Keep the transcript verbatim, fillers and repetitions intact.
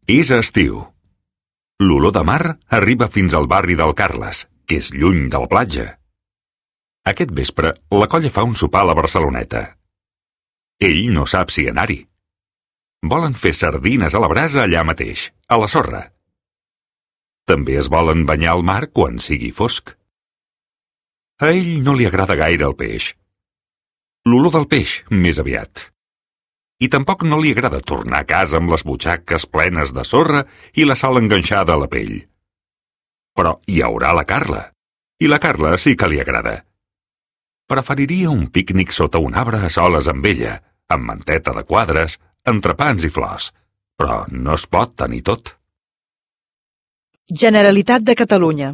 És estiu. L'olor de mar arriba fins al barri del Carles, que és lluny de la platja. Aquest vespre, la colla fa un sopar a la Barceloneta. Ell no sap si anar-hi. Volen fer sardines a la brasa allà mateix, a la sorra. També es volen banyar al mar quan sigui fosc. A ell no li agrada gaire el peix. L'olor del peix, més aviat. I tampoc no li agrada tornar a casa amb les butxaques plenes de sorra i la sal enganxada a la pell. Però hi haurà la Carla, i la Carla sí que li agrada. Preferiria un pícnic sota un arbre a soles amb ella, amb manteta de quadres, entrepans i flors, però no es pot tenir tot. Generalitat de Catalunya.